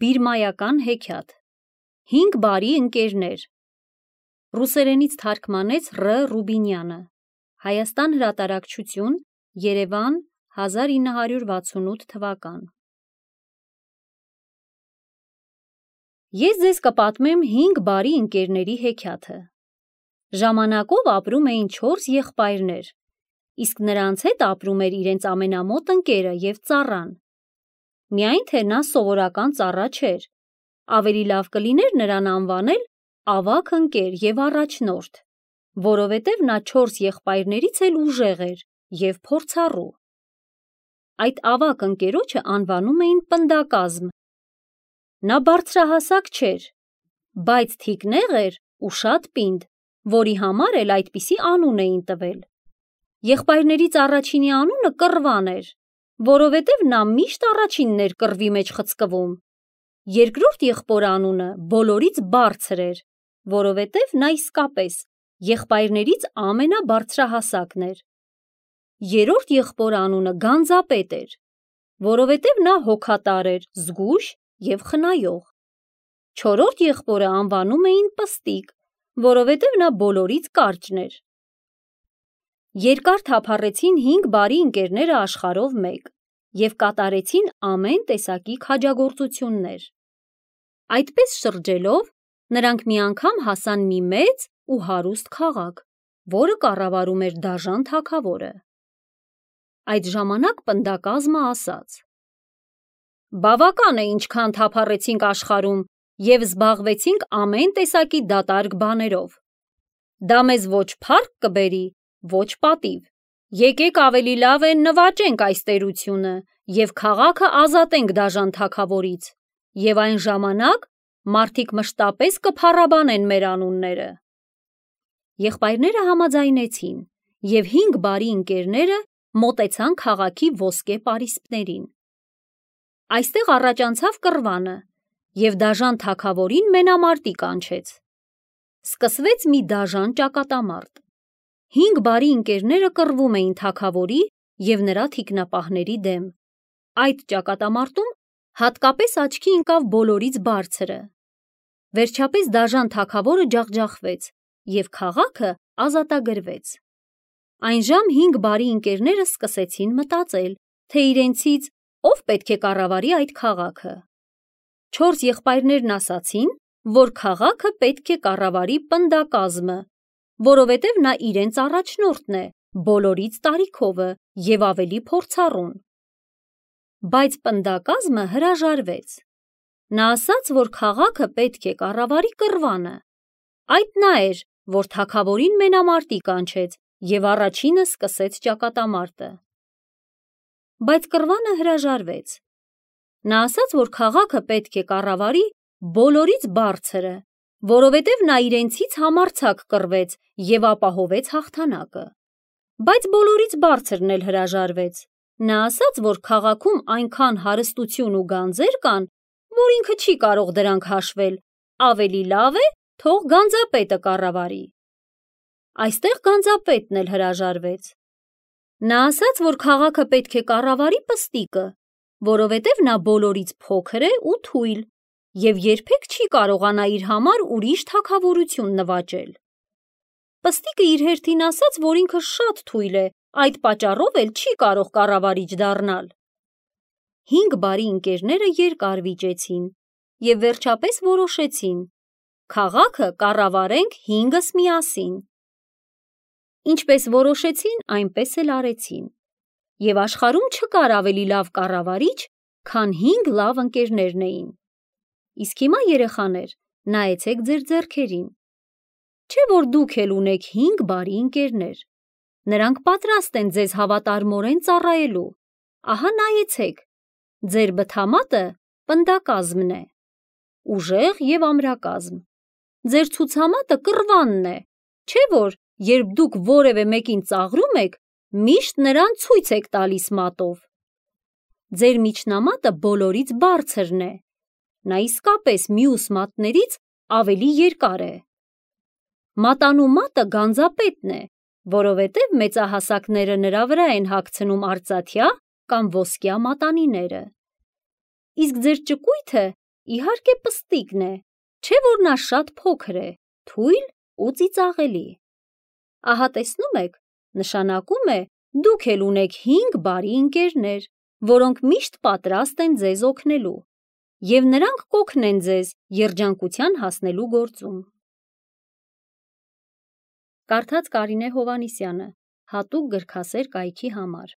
Բիրմայական հեքիաթ։ 5 բարի ընկերներ։ Ռուսերենից թարգմանեց Ռ. Ռուբինյանը։ Հայաստան հրատարակչություն, Երևան, 1968 թվական։ Ես ձեզ կպատմեմ 5 բարի ընկերների հեքիաթը։ Ժամանակով ապրում էին 4 եղբայրներ, իսկ նրանց հետ ապրում էր իրենց ամենամոտ ընկերը և ծառան։ Միայն թե նա սովորական ծառա չէր, ավելի լավ կլիներ նրան անվանել ավագ ընկեր և առաջնորդ, որովհետև նա 4 եղբայրներից էլ ուժեղ էր և փորձառու։ Այդ ավագ ընկերոջը անվանում էին պնդակազմ։ Նա բարձրահասակ չէր, բայց թիկնեղ էր ու շատ պինդ, որի համար էլ այդպիսի անուն էին տվել։ Եղբայրներից առաջինի անունը Կռվան էր, որովհետև նա միշտ առաջինն էր կռվի մեջ խցկվում։ Երկրորդ եղբորը անունը բոլորից բարձր էր, որովհետև նա իսկապես եղբայրներից ամենաբարձրահասակն էր։ Երրորդ եղբորը անունը Գանձապետ էր, որովհետև նա հոգատար էր, զգույշ և խնայող։ Չորրորդ եղբորը անվանում էին Պստիկ, որովհետև նա բոլորից կարճն էր։ Երկար թափառեցին 5 բարի ընկերները աշխարհով մեկ և կատարեցին ամեն տեսակի քաջագործություններ։ Այդպես շրջելով, նրանք մի անգամ հասան մի մեծ ու հարուստ քաղաք, որը կառավարում էր դաժան թագավորը։ Այդ ժամանակ պնդակազմը ասաց. «Բավական է ինչքան թափառեցինք աշխարհում և զբաղվեցինք ամեն տեսակի դատարկ բաներով։ Դա մեզ ոչ փառք կբերի, ոչ պատիվ։ Եկեք ավելի լավ է նվաճենք այս տերությունը և քաղաքը ազատենք դաժան թագավորից, և այն ժամանակ մարդիկ մշտապես կփառաբանեն մեր անունները»։ Եղբայրները համաձայնեցին, և 5 բարի ընկերները մոտեցան քաղաքի ոսկե պարիսպներին։ Այստեղ առաջանցավ Կռվանը և դաժան թագավորին մենամարտի կանչեց։ Սկսվեց մի դաժան ճակատամարտ։ 5 բարի ընկերները կռվում էին թագավորի և նրա թիկնապահների դեմ։ Այդ ճակատամարտում հատկապես աչքի ընկավ բոլորից բարձրը։ Վերջապես դաժան թագավորը ջախջախվեց, և քաղաքը ազատագրվեց։ Այնժամ 5 բարի ընկերները սկսեցին մտածել, թե իրենցից ով պետք է կառավարի այդ քաղաքը։ 4 եղբայրներն ասացին, որ քաղաքը պետք է կառավարի պնդակազմը, որովհետև նա իրենց առաջնորդն է, բոլորից տարիքովը և ավելի փորձառուն։ Բայց պնդակազմը հրաժարվեց։ Նա ասաց, որ քաղաքը պետք է կառավարի Կռվանը։ Այդ նա էր, որ թագավորին մենամարտի կանչեց և առաջինը սկսեց ճակատամարտը։ Բայց Կռվանը հրաժարվեց։ Նա ասաց, որ քաղաքը պետք է կառավարի բոլորից բարձրը, որովհետև նա իրենցից համարձակ կռվեց և ապահովեց հաղթանակը։ Բայց բոլորից բարձրն էլ հրաժարվեց։ Նա ասաց, որ քաղաքում այնքան հարստություն ու գանձեր կան, որ ինքը չի կարող դրանք հաշվել, ավելի լավ է թող Գանձապետը կառավարի։ Այստեղ Գանձապետն էլ հրաժարվեց։ Նա ասաց, որ քաղաքը պետք է կառավարի Պստիկը, որովհետև նա բոլորից փոքր է ու թույլ և երբեք չի կարողանա իր համար ուրիշ թագավորություն նվաճել։ Պստիկը իր հերթին ասաց, որ ինքը շատ թույլ է, այդ պատճառով էլ չի կարող կառավարիչ դառնալ։ 5 բարի ընկերները երկար վիճեցին և վերջապես որոշեցին. քաղաքը կառավարենք 5-ս միասին։ Ինչպես որոշեցին, այնպես էլ արեցին։ Եվ աշխարհում չկար ավելի լավ կառավարիչ, քան 5 լավ ընկերներն էին։ Իսկ հիմա, երեխաներ, նայեցեք ձեր ձեռքերին։ Չէ՞ որ դուք էլ ունեք 5 բարի ընկերներ։ Նրանք պատրաստ են ձեզ հավատարմորեն ծառայելու։ Ահա նայեցեք, ձեր բթամատը պնդակազմն է, ուժեղ և ամրակազմ։ Ձեր ցուցամատը Կռվանն է, չէ՞ որ երբ դուք որևէ մեկին ծաղրում եք, միշտ նրան ցույց եք տալիս մատով։ Ձեր միջնամատը բոլորից բարձրն է, նա իսկապես մյուս մատներից ավելի երկար է։ Մատանու մատը Գանձապետն է, որովհետև մեծահասակները նրա վրա են հագցնում արծաթյա կամ ոսկյա մատանիները։ Իսկ ձեր ճկույթը Իհարկե պստիկն է, չէ որ նա շատ փոքր է, թույլ ու ծիծաղելի։ Ահա տեսնում եք, նշանակում է դուք էլ ունեք 5 բարի ընկերներ, որոնք միշտ պատրաստ են ձեզ օգնելու, և նրանք կօգնեն ձեզ երջանկության հասնելու գործում։ Կարդաց Կարինե Հովհաննիսյանը, հատուկ գրքասեր կայքի համար։